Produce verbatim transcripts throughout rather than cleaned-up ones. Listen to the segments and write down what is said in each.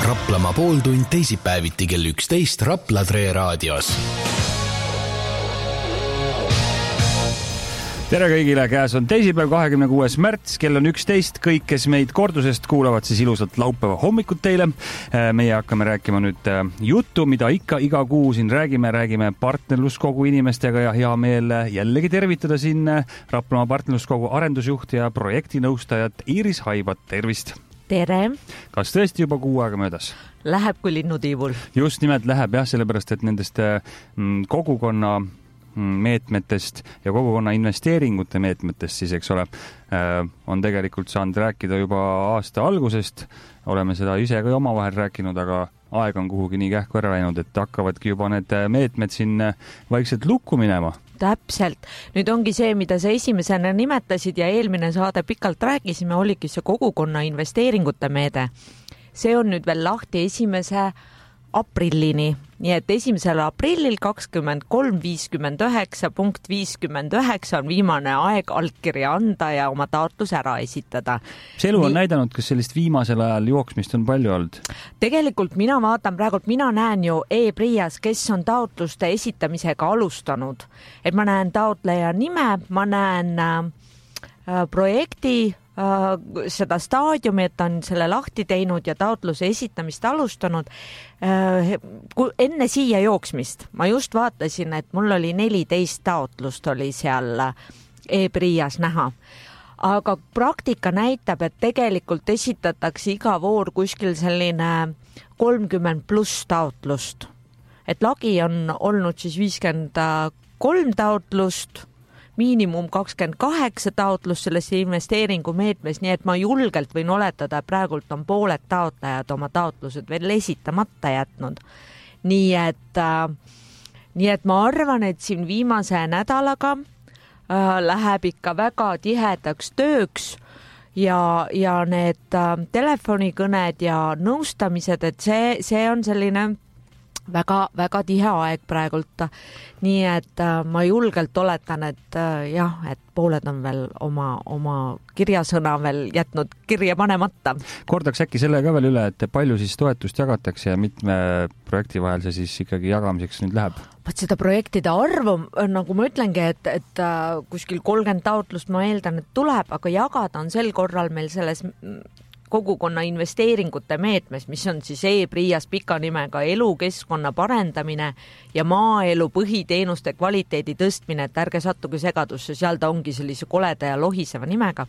Raplamaa pooltund teisipäeviti kell üksteist Rapla Tre raadios. Tere kõigile, käes on teisipäev, kahekümne kuues märts, kell on üksteist. Kõik, kes meid kordusest kuulavad, siis ilusat laupäeva hommikut teile. Meie hakkame rääkima nüüd juttu, mida ikka iga kuu siin räägime. Räägime partnerluskogu inimestega ja hea meel jällegi tervitada siin Raplamaa partnerluskogu arendusjuht ja projektinõustajat Iiris Haibat. Tervist! Tere! Kas tõesti juba kuu aega möödas? Läheb kui linnutiivul. Just nimelt läheb jah, sellepärast, et nendest kogukonna meetmetest ja kogukonna investeeringute meetmetest siis, eks ole, on tegelikult saanud rääkida juba aasta algusest. Oleme seda ise ka omavahel rääkinud, aga aeg on kuhugi nii kähku ära läinud, et hakkavadki juba need meetmed siin vaikselt lukku minema. Täpselt. Nüüd ongi see, mida sa esimesena nimetasid ja eelmine saade pikalt rääkisime, oligi see kogukonna investeeringute meede. See on nüüd veel lahti esimese aprillini. Nii et esimesel aprillil kakskümmend kolm viiskümmend üheksa punkt viiskümmend üheksa on viimane aeg allkirja anda ja oma taotlus ära esitada. See elu on Nii... näidanud, kas sellist viimasel ajal jooksmist on palju olnud? Tegelikult mina vaatan praegult, mina näen ju e-Prias, kes on taotluste esitamisega alustanud. Et ma näen taotleja nime, ma näen äh, projekti seda staadiumi, et on selle lahti teinud ja taotluse esitamist alustanud. Enne siia jooksmist ma just vaatasin, et mul oli neliteist taotlust oli seal e-Prias näha. Aga praktika näitab, et tegelikult esitatakse iga voor kuskil selline kolmkümmend pluss taotlust. Et lagi on olnud siis viiskümmend kolm taotlust, miinimum kakskümmend kaheksa taotlust selles investeeringu meetmes, nii et ma julgelt võin oletada, praegult on pooled taotlejad oma taotlused veel esitamata jätnud. Nii et, äh, nii et ma arvan, et siin viimase nädalaga äh, läheb ikka väga tihedaks tööks ja, ja need äh, telefonikõned ja nõustamised, et see, see on selline väga, väga tihe aeg praegult. Nii et äh, ma julgelt oletan, et äh, jah, et pooled on veel oma, oma kirjasõna veel jätnud kirja panemata. Kordaks äkki selle ka veel üle, et palju siis toetust jagatakse ja mitme projekti vahel see siis ikkagi jagamiseks nüüd läheb? Vaat seda projektide arvu, nagu ma ütlengi, et, et äh, kuskil kolmkümmend taotlust ma eeldan, et tuleb, aga jagada on sel korral meil selles kogukonna investeeringute meetmes, mis on siis e-Prias pika nimega elukeskkonna parendamine ja maaelu põhiteenuste kvaliteedi tõstmine, et ärge sattuge segadusse, seal ta ongi sellise koleda ja lohiseva nimega.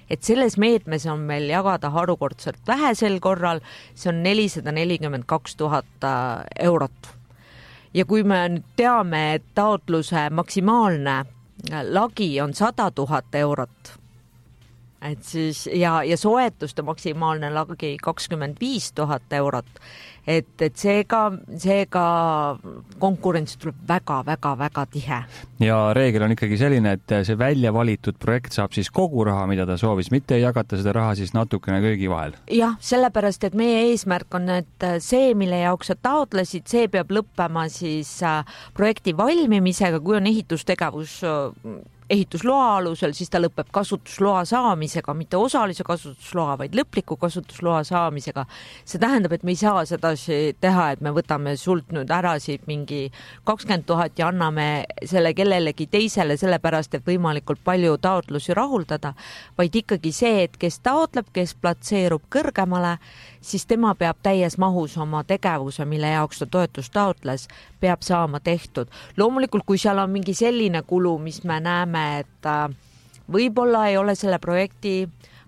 Et selles meetmes on meil jagada harukordselt vähe sel korral, see on nelisada nelikümmend kaks tuhat eurot. Ja kui me nüüd teame, et taotluse maksimaalne lagi on sada tuhat eurot, et siis ja, ja soetuste maksimaalne lagi kakskümmend viis tuhat eurot, et, et seega, seega konkurents tuleb väga, väga, väga tihe. Ja reegel on ikkagi selline, et see välja valitud projekt saab siis kogu raha, mida ta soovis, mitte ei jagata seda raha siis natukene kõigi vahel. Jah, sellepärast, et meie eesmärk on, et see, mille jaoks sa taotlesid, see peab lõppema siis projekti valmimisega, kui on ehitustegevus ehitusloa alusel, siis ta lõpeb kasutusloa saamisega, mitte osalise kasutusloa, vaid lõpliku kasutusloa saamisega. See tähendab, et me ei saa seda teha, et me võtame sult nüüd ära siit mingi kakskümmend tuhat ja anname selle kellelegi teisele, sellepärast, et võimalikult palju taotlusi rahuldada, vaid ikkagi see, et kes taotleb, kes platseerub kõrgemale, siis tema peab täies mahus oma tegevuse, mille jaoks ta toetust taotles, peab saama tehtud. Loomulikult, kui seal on mingi selline kulu, mis me näeme, et võib-olla ei ole selle projekti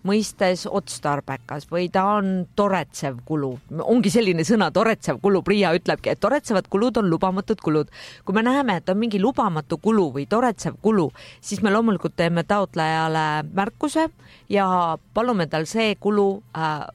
mõistes otstarbekas või ta on toretsev kulu. Ongi selline sõna, toretsev kulu. Priia ütlebki, et toretsevad kulud on lubamatud kulud. Kui me näeme, et on mingi lubamatu kulu või toretsev kulu, siis me loomulikult teeme taotlejale märkuse ja palume tal see kulu äh,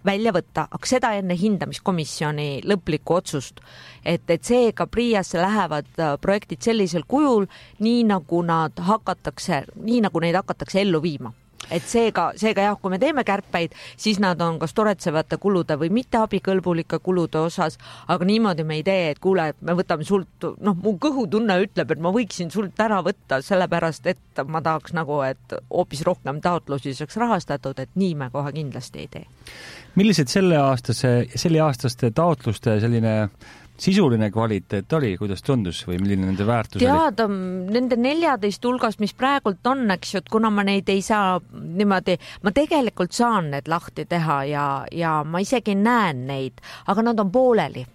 välja võtta, aga seda enne hindamiskomisjoni lõplikku otsust, et, et seega Priiasse lähevad projektid sellisel kujul, nii nagu nad hakatakse, nii nagu neid hakatakse ellu viima. et seega, seega jah, kui me teeme kärpeid, siis nad on kas toretsevate kulude või mitte abikõlbulike kulude osas, aga niimoodi me ei tee, et kuule, me võtame sult, noh, mu kõhutunne ütleb, et ma võiksin sult ära võtta, sellepärast, et ma tahaks nagu, et hoopis rohkem taotlusi saaks rahastatud, et nii me kohe kindlasti ei tee. Millised selle aastase, selle aastaste taotluste selline sisuline kvaliteet oli, kuidas tundus või milline nende väärtus Tead, oli? Nende neljateist hulgast, mis praegult on, eks ju, et kuna ma neid ei saa niimoodi, ma tegelikult saan need lahti teha ja, ja ma isegi näen neid, aga nad on pooleli.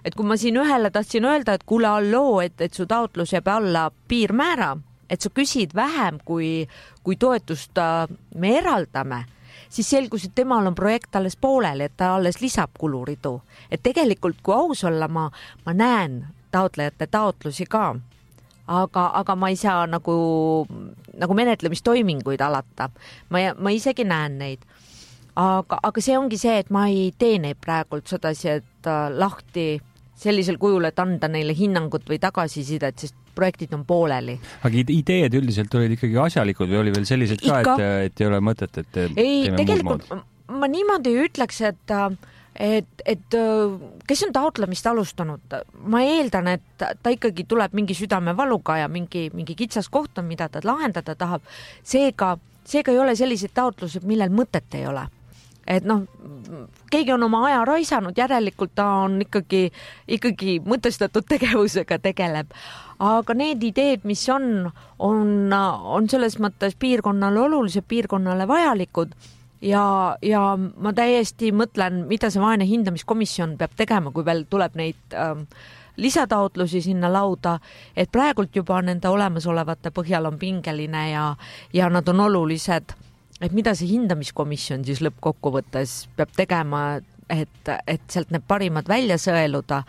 Et kui ma siin ühele tahtsin öelda, et kuule alloo, et, et su taotlus jääb alla piirmäära, et sa küsid vähem, kui, kui toetust me eraldame, siis selgus, et temal on projekt alles pooleli, et ta alles lisab kuluridu. Et tegelikult, kui aus olla, ma, ma näen taotlejate taotlusi ka, aga, aga ma ei saa nagu, nagu menetlemistoiminguid alata. Ma, ma isegi näen neid. Aga, aga see ongi see, et ma ei tee neid praegult sedasi, et lahti sellisel kujul, et anda neile hinnangut või tagasisidet, sest projektid on pooleli. Aga ideed üldiselt olid ikkagi asjalikud või oli veel sellised ka, et, et ei ole mõtet, et ei, tegelikult ma niimoodi ütleks, et, et, et kes on taotlemist alustanud, ma eeldan, et ta ikkagi tuleb mingi südamevaluga ja mingi, mingi kitsas koht on, mida ta lahendada tahab. Seega, seega ei ole sellised taotlused, millel mõtet ei ole. Et noh, keegi on oma aja raisanud, järelikult ta on ikkagi, ikkagi mõtestatud tegevusega tegeleb. Aga need ideed, mis on, on, on selles mõttes piirkonnale olulised, piirkonnale vajalikud ja, ja ma täiesti mõtlen, mida see vaene hindamiskomisjon peab tegema, kui veel tuleb neid ähm, lisataotlusi sinna lauda, et praegult juba nende olemasolevate põhjal on pingeline ja, ja nad on olulised. Et mida see hindamiskomisjon siis lõppkokkuvõttes peab tegema, et, et sealt need parimad välja sõeluda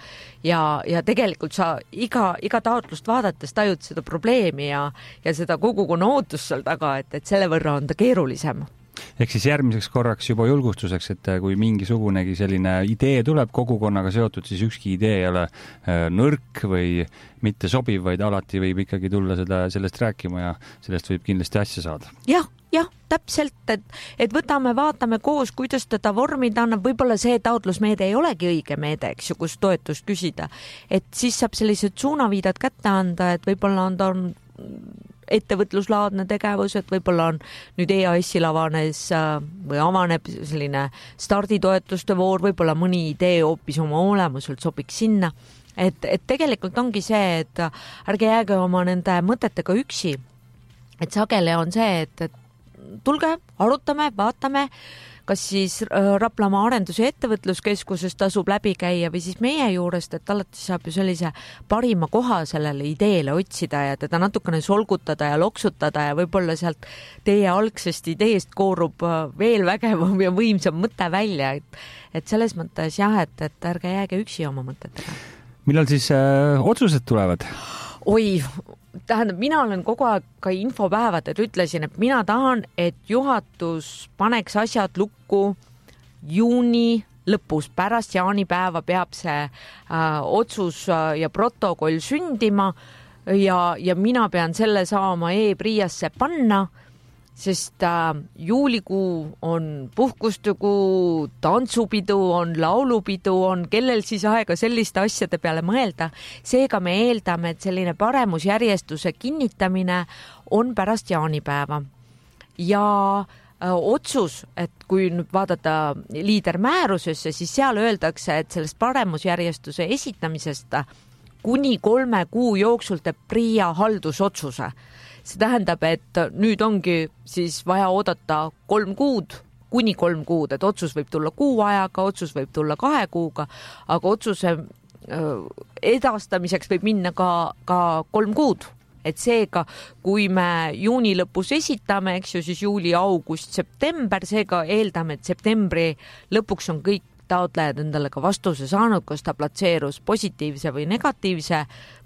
ja, ja tegelikult sa iga, iga taotlust vaadates tajud seda probleemi ja, ja seda kogukonna ootust seal taga, et, et selle võrra on ta keerulisem. Ehk siis järgmiseks korraks juba julgustuseks, et kui mingisugunegi selline idee tuleb kogukonnaga seotud, siis ükski idee ei ole nõrk või mitte sobiv, vaid alati võib ikkagi tulla seda, sellest rääkima ja sellest võib kindlasti asja saada. Jah, jah, täpselt, et, et võtame, vaatame koos, kuidas teda vormida annab, võib-olla see taotlusmeede ei olegi õige meede, eks ju, kus toetust küsida, et siis saab sellised suunaviidad kätte anda, et võib-olla on ta on ettevõtluslaadne tegevus, et võib-olla on nüüd E A S-il avanes või avaneb selline starditoetuste voor, võib-olla mõni idee hoopis oma olemuselt sobiks sinna, et, et tegelikult ongi see, et ärge jääge oma nende mõtetega üksi, et sageli on see, et, et tulge, arutame, vaatame, kas siis Raplamaa arendus- ja ettevõtluskeskuses tasub läbi käia või siis meie juurest, et alati saab ju sellise parima koha sellele ideele otsida ja teda natukene solgutada ja loksutada ja võib-olla sealt teie algsest ideest koorub veel vägevam ja võimsam mõte välja, et, et selles mõttes jah, et, et ärge jääge üksi oma mõtetega. Millal siis äh, otsused tulevad? Oi, tähendab, mina olen kogu aeg ka infopäevadel ütlesin, et mina tahan, et juhatus paneks asjad lukku juuni lõpus, pärast jaanipäeva peab see äh, otsus ja protokoll sündima ja, ja mina pean selle saama e-Priasse panna, sest äh, juulikuu on puhkustekuu, tantsupidu on, laulupidu on, kellel siis aega selliste asjade peale mõelda. Seega me eeldame, et selline paremusjärjestuse kinnitamine on pärast jaanipäeva. Ja äh, otsus, et kui nüüd vaadata liidermäärusesse, siis seal öeldakse, et sellest paremusjärjestuse esitamisest kuni kolme kuu jooksul teeb Pria haldusotsuse. See tähendab, et nüüd ongi siis vaja oodata kolm kuud, kuni kolm kuud, et otsus võib tulla kuu ajaga, otsus võib tulla kahe kuuga, aga otsuse edastamiseks võib minna ka, ka kolm kuud. Et seega, kui me juuni lõpus esitame, eks ju, siis juuli, august, september, seega eeldame, et septembri lõpuks on kõik taotlejad endale ka vastuse saanud, kas ta platseerus positiivse või negatiivse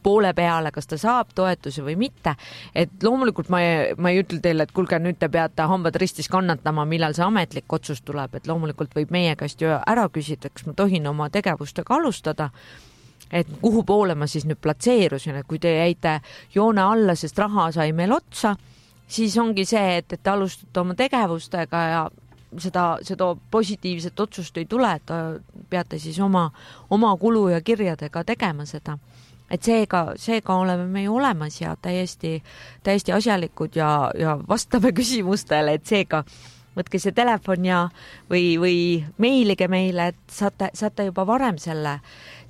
poole peale, kas ta saab toetuse või mitte. Et loomulikult ma ei, ma ei ütle teile, et kulge, nüüd te peate hambad ristis kannatama, millal see ametlik otsus tuleb, et loomulikult võib meie käest ju ära küsida, kas ma tohin oma tegevustega alustada, et kuhu poole ma siis nüüd platseerusin, et kui te jäite joone alla, sest raha sai meil otsa, siis ongi see, et, et te alustate oma tegevustega ja seda, seda positiivset otsust ei tule, et peate siis oma, oma kulu ja kirjadega tegema seda. Et seega, seega oleme me ju olemas ja täiesti, täiesti asjalikud ja, ja vastame küsimustele, et seega võtke see telefon ja või, või meilige meile, et saate, saate juba varem selle,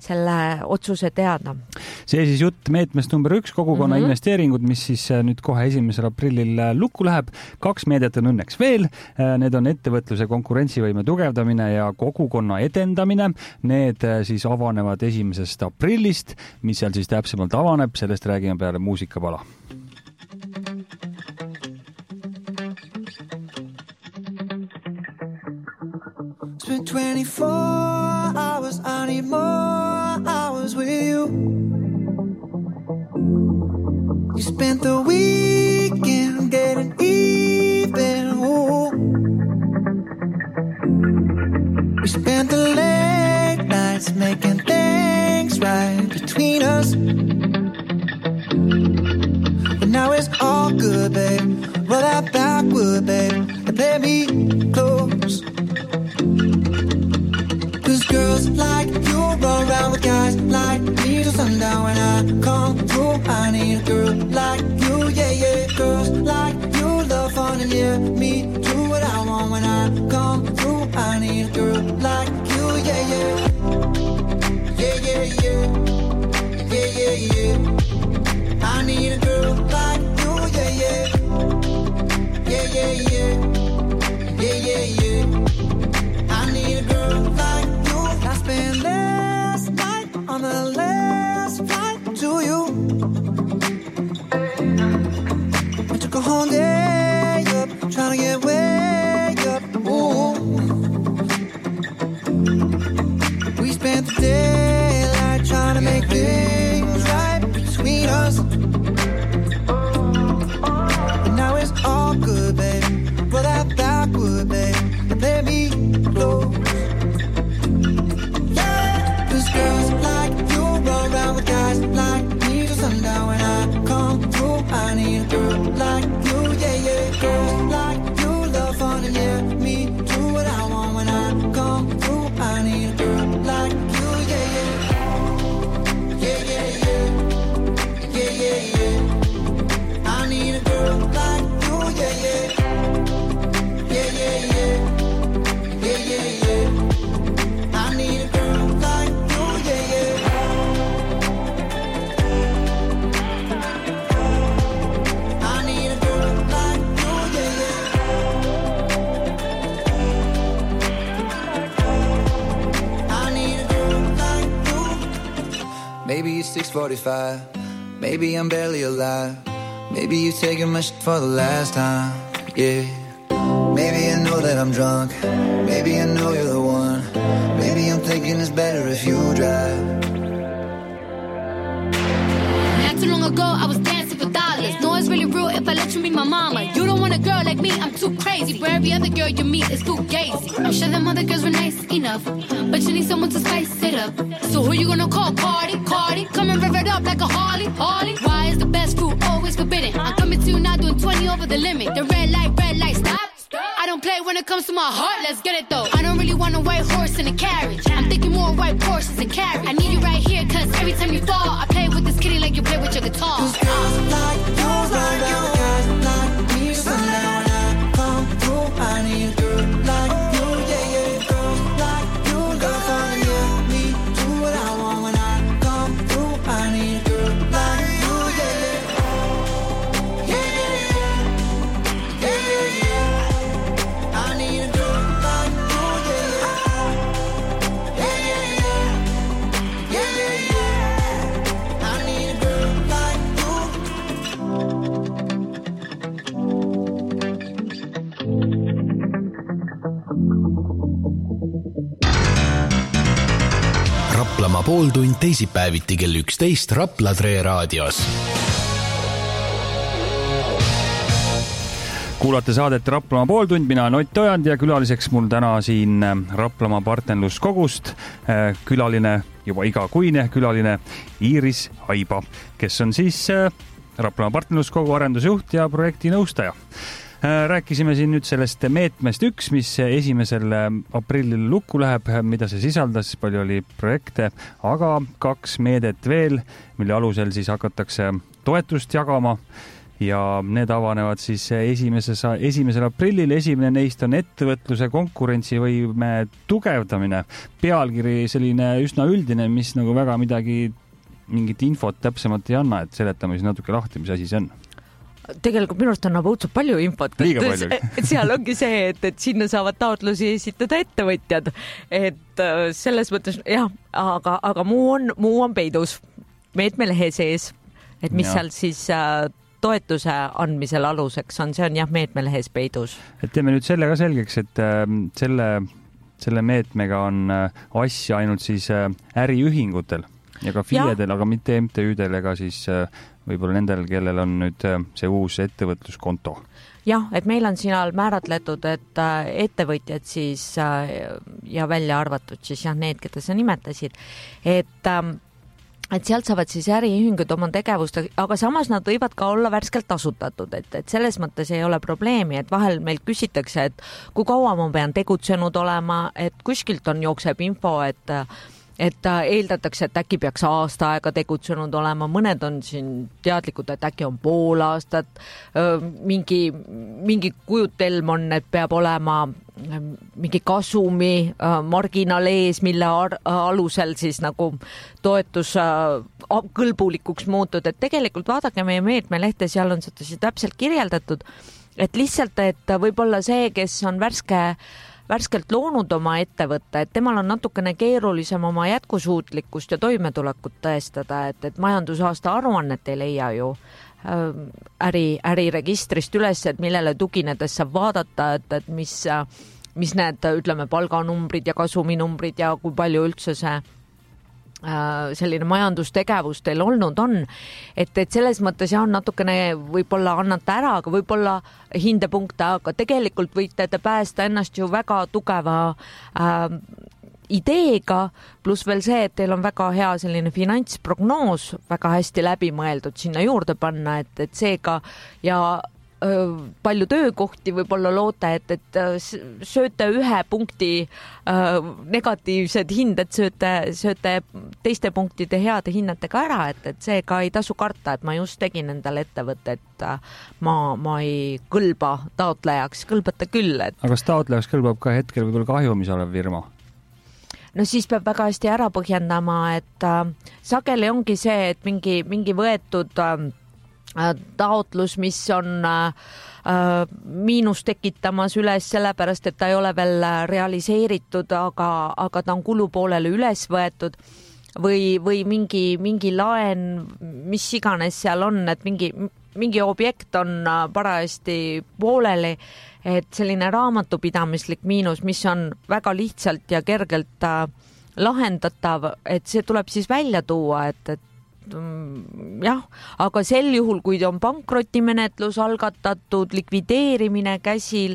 selle otsuse teada. See siis jutt meetmest number üks, kogukonna mm-hmm. investeeringud, mis siis nüüd kohe esimesel aprillil lukku läheb. Kaks meedet on õnneks veel. Need on ettevõtluse konkurentsivõime tugevdamine ja kogukonna edendamine. Need siis avanevad esimesest aprillist. Mis seal siis täpsemalt avaneb, sellest räägime peale muusikapala. Spent twenty-four hours, I need more hours with you. You spent the weekend getting even. Ooh. We spent the late nights making things right between us. But now it's all good, babe. Roll that backward, babe, and play me close. Cause girls like you run around with guys like me till sundown. When I come through, I need a girl like you, yeah, yeah. Girls like you love fun and yeah, me do what I want. When I come through, I need a girl like you, yeah, yeah. Yeah, yeah, yeah. Yeah, yeah, yeah. I need a girl like you, yeah, yeah. Yeah, yeah, yeah. Yeah, yeah, yeah. I need a girl like you. I spent last night on the last flight to you. I took a whole day up, trying to get way up. Ooh. We spent the daylight trying to make things right between us. But now it's all good, babe. Roll that backward, babe, and let me close. Yeah, cause girls like you run around with guys like me till sundown. When I come through, I need a girl like you, yeah, yeah. Girls like you love fun and yeah, me do what I want. When I come through, I need a girl like you, yeah, yeah. Yeah, yeah, yeah. Yeah, yeah, yeah. I need a girl like you, yeah, yeah. Yeah, yeah, yeah. Yeah, yeah, yeah. I need a girl like you, yeah, yeah. I need a girl like you, yeah, yeah. I need a girl like you. Maybe it's six forty-five. Maybe I'm barely alive. Maybe you're taking my shit for the last time, yeah. Maybe I know that I'm drunk. Maybe I know you're the one. Maybe I'm thinking it's better if you drive. Not too long ago, I was dancing for dollars. No, it's really real if I let you meet my mama. You don't want a girl like me, I'm too crazy. For every other girl you meet is too gazy. I'm sure them other girls were nice enough, but you need someone to spice it up. So who you gonna call? Cardi, Cardi. Come and rev it up like a Harley, Harley. Why is the best fruit always forbidden? I'm coming to you now doing twenty over the limit. The red light, red light, stop. I don't play when it comes to my heart, let's get it though. I don't really want a white horse in a carriage. I'm thinking more white Porsches and carriage. I need you right here, cause every time you fall, I play with this kitty like you play with your guitar. Cause girls like you, like you, guys like me, sundown. When I come through, I need a girl like you, yeah, yeah. Girls like you, love fun, yeah, me do what I want. When I come through, I need a girl like you, yeah, yeah. Yeah, yeah, yeah. Yeah, yeah, yeah. I need a girl like you, yeah, yeah. Yeah, yeah, yeah. Yeah, yeah, yeah. I need a girl like you. Raplamaa pooltund teisipäeviti kell üksteist Rapla Tre raadios. Kuulate saadet Raplamaa pooltund, mina olen Ott Ojand ja külaliseks mul täna siin Raplamaa partnerluskogust külaline, juba igakuine külaline Iiris Haiba, kes on siis Raplamaa partnerluskogu arendusjuht ja projekti nõustaja. Rääkisime siin nüüd sellest meetmest üks, mis esimesel aprillil lukku läheb, mida see sisaldas, palju oli projekte, aga kaks meedet veel, mille alusel siis hakatakse toetust jagama ja need avanevad siis esimeses, esimesel aprillil. Esimene neist on ettevõtluse konkurentsivõime tugevdamine. Pealkiri selline üsna üldine, mis nagu väga midagi, mingit infot täpsemalt ei anna, et seletame siis natuke lahti, mis asi see on. Tegelikult minu arust annab õudselt palju infot. Liiga palju. Et seal ongi see, et, et sinna saavad taotlusi esitada ettevõtjad. Et selles mõttes, jah, aga, aga muu on, muu on peidus meetmelehe sees. Et mis ja. seal siis toetuse andmisel aluseks on, see on jah, meetmelehes peidus. Et teeme nüüd selle ka selgeks, et selle, selle meetmega on asja ainult siis äriühingutel ja ka FIE-del, aga mitte M T Ü-del ega siis võib-olla nendel, kellel on nüüd see uus ettevõtluskonto. Jah, et meil on siin määratletud, et ettevõtjad siis ja välja arvatud siis jah, need, keda sa nimetasid, et, et sealt saavad siis äriühingud oma tegevust, aga samas nad võivad ka olla värskelt asutatud, et, et selles mõttes ei ole probleemi, et vahel meilt küsitakse, et kui kaua ma pean tegutsenud olema, et kuskilt on jookseb info, et et eeldatakse, et äkki peaks aasta aega tegutsenud olema, mõned on siin teadlikud, et äkki on pool aastat, mingi, mingi kujutelm on, et peab olema mingi kasumi marginaal ees, mille alusel siis nagu toetus kõlbulikuks muutud, et tegelikult vaadake meie meetmelehte, seal on seda täpselt kirjeldatud, et lihtsalt, et võib-olla see, kes on värske värskelt loonud oma ettevõtte, et temal on natukene keerulisem oma jätkusuutlikkust ja toimetulekut tõestada, et, et majandusaasta aruannet ei leia ju äri, äriregistrist üles, et millele tuginedes saab vaadata, et, et mis, mis need, ütleme, palganumbrid ja kasuminumbrid ja kui palju üldse see selline majandustegevus teil olnud on, et, et selles mõttes jah, natukene võib-olla annate ära, aga võib-olla hindepunkte, aga tegelikult võite te päästa ennast ju väga tugeva äh, ideega, pluss veel see, et teil on väga hea selline finantsprognoos, väga hästi läbimõeldud sinna juurde panna, et, et seega ja palju töökohti võib-olla loote, et, et sööte ühe punkti äh, negatiivsed hinded, sööte, sööte teiste punktide heade hinnetega ära, et, et seega ei tasu karta, et ma just tegin endale ettevõtte, et ma, ma ei kõlba taotlejaks, kõlbate küll. Et... aga kas taotlejaks kõlbab ka hetkel võib-olla kahjumis olev firma? No siis peab väga hästi ära põhjendama, et äh, sageli ongi see, et mingi, mingi võetud äh, taotlus, mis on äh, miinus tekitamas üles sellepärast, et ta ei ole veel realiseeritud, aga, aga ta on kulupoolele üles võetud või, või mingi, mingi laen, mis iganes seal on, et mingi, mingi objekt on parajasti pooleli, et selline raamatupidamislik miinus, mis on väga lihtsalt ja kergelt äh, lahendatav, et see tuleb siis välja tuua, et, et jah, aga sel juhul, kui on pankrotimenetlus algatatud, likvideerimine käsil,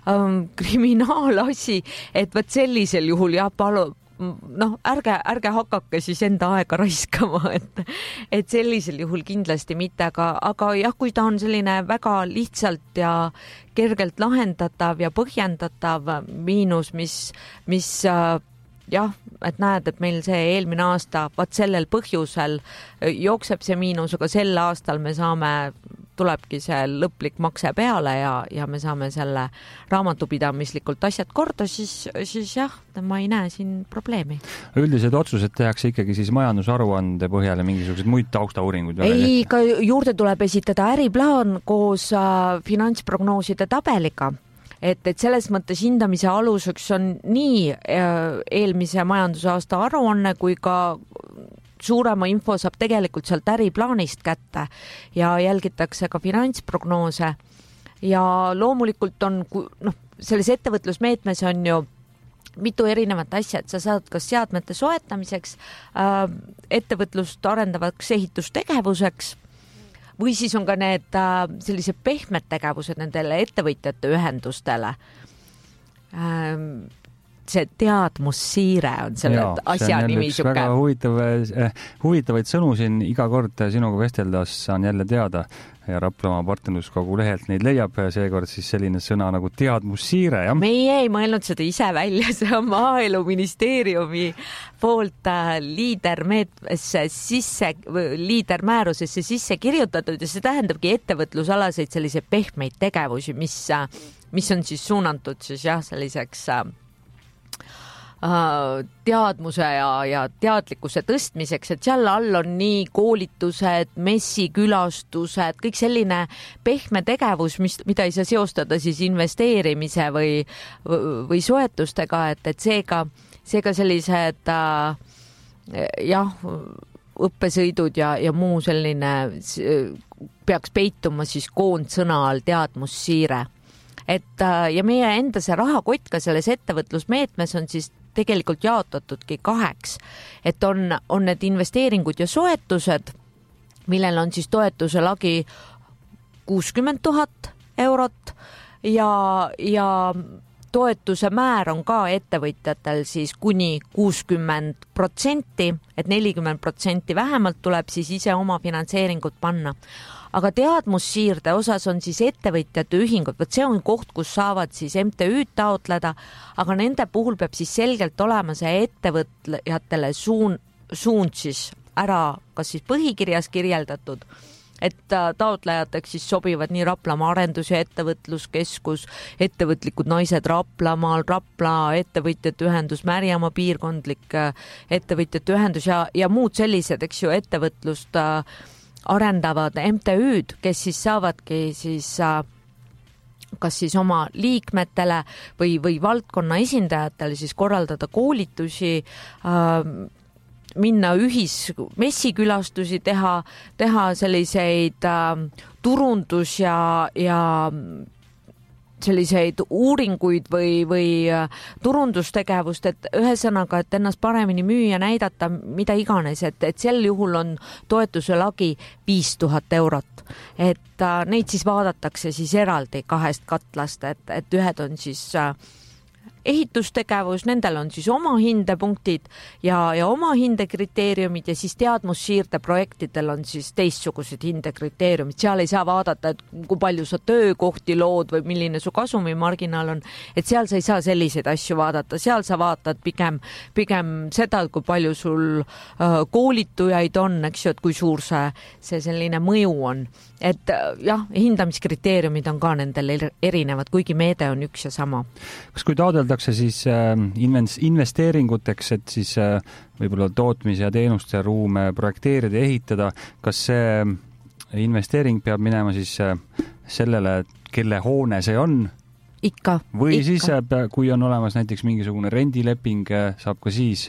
ähm, kriminaalasi, et võt sellisel juhul jah, palu, noh, ärge, ärge hakake siis enda aega raiskama, et, et sellisel juhul kindlasti mitte, aga, aga jah, kui ta on selline väga lihtsalt ja kergelt lahendatav ja põhjendatav miinus, mis, mis jah, et näed, et meil see eelmine aasta vaat sellel põhjusel jookseb see miinus, aga sel aastal me saame, tulebki see lõplik makse peale ja, ja me saame selle raamatupidamislikult asjad korda, siis, siis jah, ma ei näe siin probleemi. Üldised otsused tehakse ikkagi siis majandusaruande põhjal ja mingisugused muid taustauuringuid? Ei, ka juurde tuleb esitada äriplaan koos äh, finantsprognooside tabeliga. Et, et selles mõttes hindamise aluseks on nii eelmise majandusaasta aruanne kui ka suurema info saab tegelikult sealt äriplaanist kätte ja jälgitakse ka finantsprognoose ja loomulikult on, noh, selles ettevõtlusmeetmes on ju mitu erinevat asja, et sa saad kas seadmete soetamiseks, ettevõtlust arendavaks ehitustegevuseks või siis on ka need äh, sellised pehmed tegevused nendele ettevõtjate ühendustele. Ähm, see teadmussiire on selle Jaa, asja nimi. See on väga huvitav, eh, huvitavaid sõnu siin iga kord sinuga vesteldas saan jälle teada ja Raplamaa partnerluskogu lehelt neid leiab seekord siis selline sõna nagu teadmussiire. Ja? Meie ei mõelnud seda ise välja, see on Maaeluministeeriumi poolt liidermeetmesse sisse, liidermäärusesse sisse kirjutatud ja see tähendabki ettevõtlusalaseid selliseid pehmeid tegevusi, mis, mis on siis suunatud siis jah, selliseks teadmuse ja, ja teadlikkuse tõstmiseks, et seal all on nii koolitused, messikülastused, kõik selline pehme tegevus, mis, mida ei saa seostada siis investeerimise või, või soetustega, et, et seega, seega sellised jah, õppesõidud ja, ja muu selline peaks peituma siis koondsõna all teadmussiire. Et ja meie enda see rahakott ka selles ettevõtlusmeetmes on siis tegelikult jaotatudki kaheks, et on, on need investeeringud ja soetused, millel on siis toetuse lagi kuuskümmend tuhat eurot ja, ja toetuse määr on ka ettevõtjatel siis kuni kuuskümmend protsenti, et nelikümmend protsenti vähemalt tuleb siis ise oma finantseeringut panna. Aga teadmussiirde osas on siis ettevõtjate ühingud, võt see on koht, kus saavad siis M T Ü'd taotleda, aga nende puhul peab siis selgelt olema see ettevõtjatele suun, suund siis ära, kas siis põhikirjas kirjeldatud, et taotlejateks siis sobivad nii Raplamaa arendus- ja ettevõtluskeskus, ettevõtlikud naised Raplamaal, Rapla ettevõtjate ühendus, Märjamaa piirkondlik ettevõtjate ühendus ja, ja muud sellised, eks ju, ettevõtlust arendavad M T Ü'd, kes siis saavadki siis kas siis oma liikmetele või, või valdkonna esindajatele siis korraldada koolitusi, minna ühis messikülastusi, teha, teha selliseid turundus ja, ja selliseid uuringuid või, või turundustegevust, et ühesõnaga, et ennast paremini müüa, näidata, mida iganes, et, et sel juhul on toetuse lagi viis tuhat eurot. Et äh, neid siis vaadatakse siis eraldi kahest katlast, et, et ühed on siis äh, ehitustegevus, nendel on siis oma hindepunktid ja, ja oma hindekriteeriumid ja siis teadmussiirde projektidel on siis teistsugused hindekriteeriumid. Seal ei saa vaadata, et kui palju sa töökohti lood või milline su kasumimarginaal on, et seal sa ei saa selliseid asju vaadata. Seal sa vaatad pigem, pigem seda, kui palju sul äh, koolitujaid on, eks ju, et kui suur see, see selline mõju on. Et jah, hindamiskriteeriumid on ka nendel erinevad, kuigi meede on üks ja sama. Kas kui taodeldakse siis investeeringuteks, et siis võib-olla tootmise ja teenuste ruume projekteerida ja ehitada, kas see investeering peab minema siis sellele, kelle hoone see on? Ikka. Või ikka. siis, kui on olemas näiteks mingisugune rendileping, saab ka siis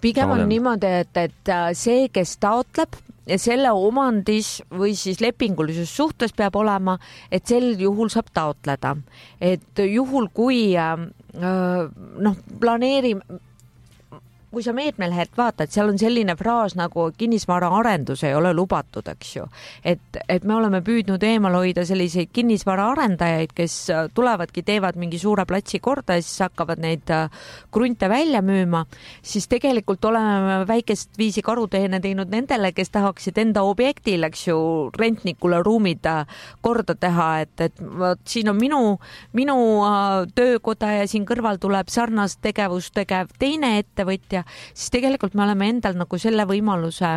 pigem taodel. On niimoodi, et, et see, kes taotleb ja selle omandis või siis lepingulises suhtes peab olema, et sel juhul saab taotleda. Et juhul, kui noh, planeerime, kui sa meetmelehelt vaatad, seal on selline fraas nagu kinnisvara arendus ei ole lubatud, eks ju. Et, et me oleme püüdnud eemal hoida selliseid kinnisvara arendajaid, kes tulevadki, teevad mingi suure platsi korda ja siis hakkavad neid krunte välja müüma, siis tegelikult oleme väikest viisi karuteene teinud nendele, kes tahaksid enda objektil, eks ju, rentnikule ruumid korda teha, et, et võt, siin on minu, minu töökoda ja siin kõrval tuleb sarnast tegevust tegev teine ettevõtja, siis tegelikult me oleme endal nagu selle võimaluse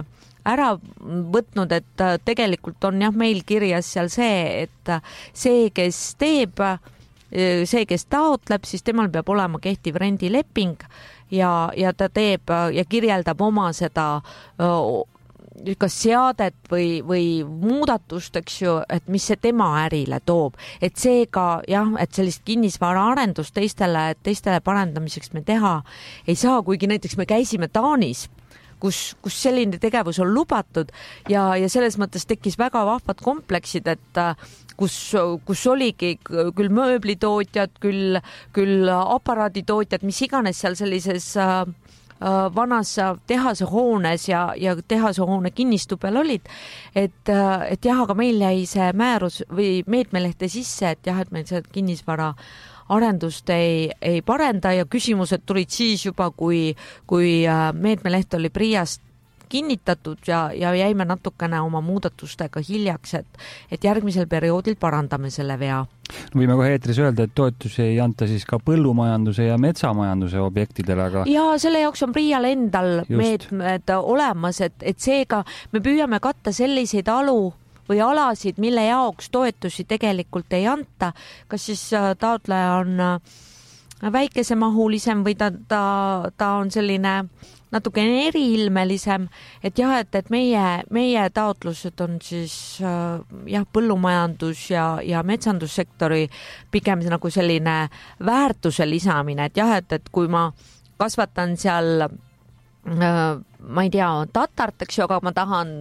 ära võtnud, et tegelikult on jah meil kirjas seal see, et see, kes teeb, see, kes taotleb, siis temal peab olema kehtiv rendileping ja, ja ta teeb ja kirjeldab oma seda kas seadet või, või muudatust, eks ju, et mis see tema ärile toob. Et seega jah, et sellist kinnisvara arendust teistele, teistele parendamiseks me teha ei saa, kuigi näiteks me käisime Taanis, kus, kus selline tegevus on lubatud ja, ja selles mõttes tekkis väga vahvad kompleksid, et kus, kus oligi küll mööblitootjad, küll, küll aparaaditootjad, mis iganes seal sellises vanas tehase hoones ja, ja tehase hoone kinnistu peal olid, et, et jah, aga meil jäi see määrus või meetmelehte sisse, et jah, et meil see kinnisvara arendust ei, ei parenda ja küsimused tulid siis juba, kui, kui meetmeleht oli Priast kinnitatud ja, ja jäime natukene oma muudatustega hiljaks, et, et järgmisel perioodil parandame selle vea. Võime kohe eetris öelda, et toetusi ei anta siis ka põllumajanduse ja metsamajanduse objektidele, aga... Ja selle jaoks on Prial endal Just. meetmed olemas, et, et seega me püüame katta selliseid alu või alasid, mille jaoks toetusi tegelikult ei anta, kas siis taotleja on väikesemahulisem või ta, ta, ta on selline natuke eriilmelisem, et jah, et, et meie, meie taotlused on siis jah, põllumajandus ja, ja metsandussektori pigem nagu selline väärtuse lisamine, et jah, et, et kui ma kasvatan seal, ma ei tea, tatart, eks ju, aga ma tahan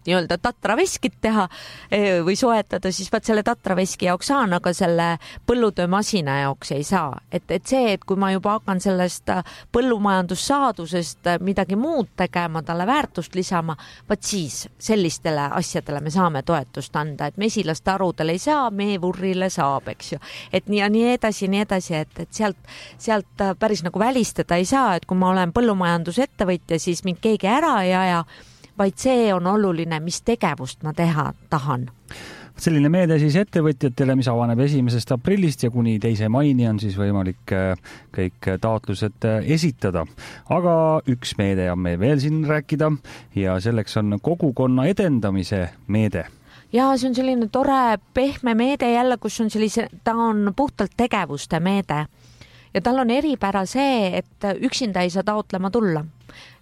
nii-öelda tatraveskit teha või soetada, siis vaat selle tatraveski jaoks saan, aga selle põllutöömasina jaoks ei saa. Et, et see, et kui ma juba hakkan sellest põllumajandussaadusest midagi muud tegema, talle väärtust lisama, vaat siis sellistele asjadele me saame toetust anda, et mesilaste arudele ei saa, meevurrile saab, eks ju. Et nii ja nii edasi, nii edasi, et, et sealt, sealt päris nagu välistada ei saa, et kui ma olen põllumajandusettevõtja, siis mind keegi ära ei aja, vaid see on oluline, mis tegevust ma teha tahan. Selline meede siis ettevõtjatele, mis avaneb esimesest aprillist ja kuni teise maini on siis võimalik kõik taotlused esitada. Aga üks meede on meil veel siin rääkida ja selleks on kogukonna edendamise meede. Ja see on selline tore pehme meede jälle, kus on sellise, ta on puhtalt tegevuste meede. Ja tal on eripära see, et üksinda ei saa taotlema tulla.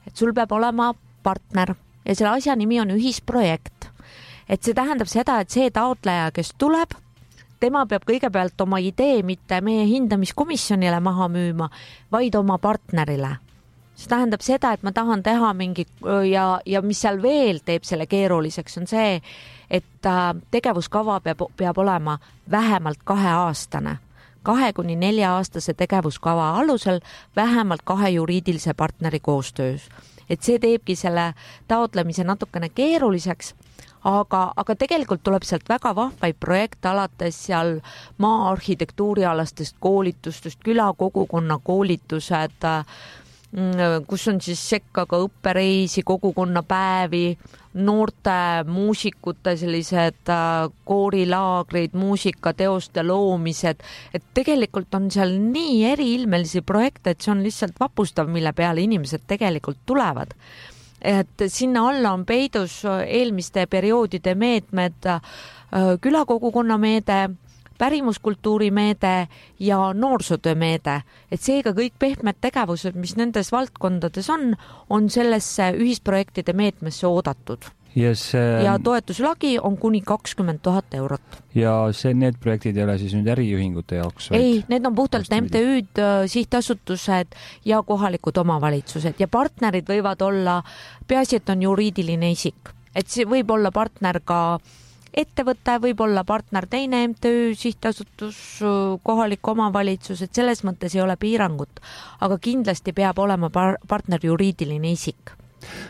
Et sul peab olema partner. Ja selle asja nimi on ühisprojekt. Et see tähendab seda, et see taotleja, kes tuleb, tema peab kõigepealt oma idee mitte meie hindamiskomisjonile maha müüma, vaid oma partnerile. See tähendab seda, et ma tahan teha mingi ja, ja mis seal veel teeb selle keeruliseks, on see, et tegevuskava peab, peab olema vähemalt kaheaastane. Kahe kuni nelja aastase tegevuskava alusel vähemalt kahe juriidilise partneri koostöös. Et see teebki selle taotlemise natukene keeruliseks, aga, aga tegelikult tuleb sealt väga vahvaid projekte alates seal maa arhitektuurialastest koolitustest, külakogukonna koolitused, kus on siis sekka ka õppereisi, kogukonnapäevi, noorte muusikute sellised koorilaagrid, muusikateoste loomised, et tegelikult on seal nii eriilmelisi projekte, et see on lihtsalt vapustav, mille peale inimesed tegelikult tulevad. Et sinna alla on peidus eelmiste perioodide meetmed, külakogukonna meede, pärimuskultuuri meede ja noorsootöö meede. Et seega kõik pehmed tegevused, mis nendes valdkondades on, on sellesse ühisprojektide meetmesse oodatud. Yes, ja toetuslagi on kuni kakskümmend tuhat eurot. Ja see, need projektid ei ole siis nüüd äriühingute jaoks? Ei, need on puhtalt M T Ü'd, sihtasutused ja kohalikud omavalitsused ja partnerid võivad olla, peaasi, et on juriidiline isik. Et see võib olla partner ka ettevõte, võib olla partner teine M T Ü, sihtasutus, kohalik omavalitsus, et selles mõttes ei ole piirangut, aga kindlasti peab olema par- partner juriidiline isik.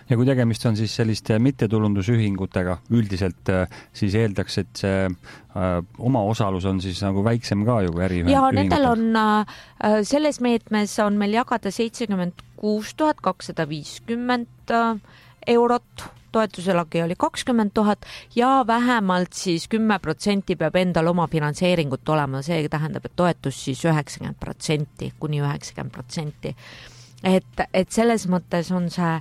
Ja kui tegemist on siis selliste mittetulundusühingutega, üldiselt siis eeldaks, et see äh, oma osalus on siis nagu väiksem ka ju äriühingutel. Ja nendel on, äh, selles meetmes on meil jagada seitsekümmend kuus tuhat kakssada viiskümmend äh, eurot, toetuse lagi oli kakskümmend tuhat ja vähemalt siis kümme protsenti peab endal oma finantseeringut olema, see tähendab, et toetus siis üheksakümmend protsenti, kuni üheksakümmend protsenti. Et, et selles mõttes on see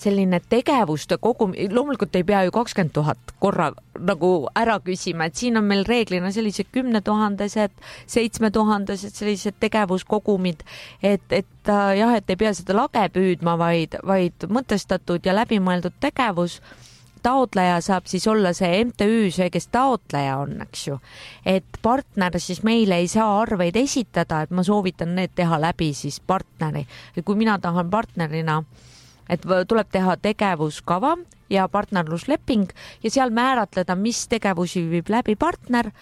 selline tegevuste kogu, loomulikult ei pea ju kakskümmend tuhat korra nagu ära küsima, et siin on meil reeglina sellised kümne tuhandesed, seitsme tuhandesed sellised tegevuskogumid, et, et jah, et ei pea seda lage püüdma, vaid, vaid mõtestatud ja läbimõeldud tegevus. Taotleja saab siis olla see M T Ü, see, kes taotleja on, eks ju. Et partner siis meile ei saa arveid esitada, et ma soovitan need teha läbi siis partneri. Et kui mina tahan partnerina, et tuleb teha tegevuskava ja partnerlusleping ja seal määratleda, mis tegevusi viib läbi partner,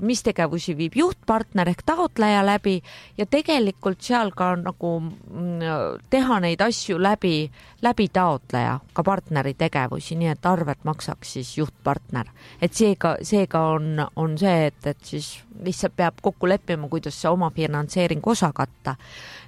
mis tegevusi viib juhtpartner ehk taotleja läbi ja tegelikult seal ka nagu teha neid asju läbi, läbi taotleja, ka partneri tegevusi, nii et arvet maksaks siis juhtpartner. Et seega, seega on, on see, et, et siis lihtsalt peab kokku leppima, kuidas see oma finantseering osa katta.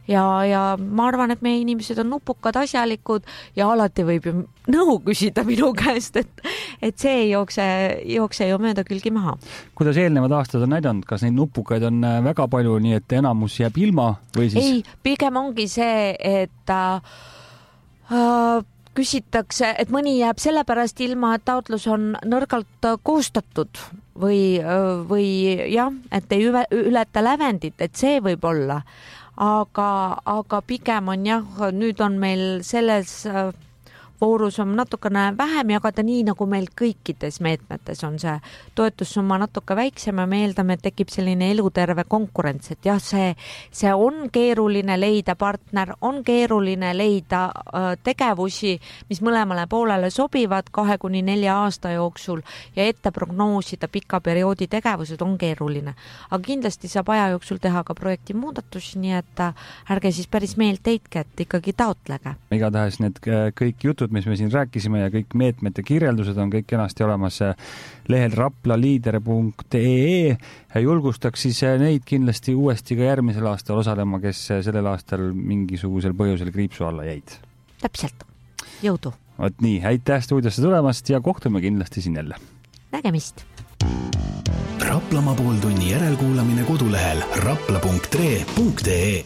Ja, ja ma arvan, et meie inimesed on nupukad, asjalikud ja alati võib ju nõu küsida minu käest, et, et see ei jookse, jookse ju mööda külgi maha. Kuidas eelnevad aastad on näidanud, kas neid nupukaid on väga palju, nii et enamus jääb ilma või siis? Ei, pigem ongi see, et äh, küsitakse, et mõni jääb sellepärast ilma, et taotlus on nõrgalt koostatud või, või jah, et ei ületa lävendit, et see võib olla. Aga, aga pigem on jah, nüüd on meil selles voorus on natukene vähem jagada, nii nagu meil kõikides meetmetes on see toetussumma natuke väiksem ja me eeldame, et tekib selline eluterve konkurents, et jah, see, see on keeruline leida partner, on keeruline leida äh, tegevusi, mis mõlemale poolele sobivad kahe kuni nelja aasta jooksul ja ette prognoosida pika perioodi tegevused on keeruline. Aga kindlasti saab aja jooksul teha ka projekti muudatusi, nii et äh, ärge siis päris meelt heitke, et ikkagi taotlege. Igatahes need kõik jutud, mis me siin rääkisime ja kõik meetmete kirjeldused on kõik kenasti olemas lehel raplaliider punkt ee. Julgustaks siis neid kindlasti uuesti ka järgmisel aastal osalema, kes sellel aastal mingisugusel põhjusel kriipsu alla jäid. Täpselt. Jõudu. Võt nii, aitäh stuudiosse tulemast ja kohtume kindlasti siin jälle. Nägemist. Raplamaa pooltunni järelkuulamine kodulehel rapla punkt ee punkt ee.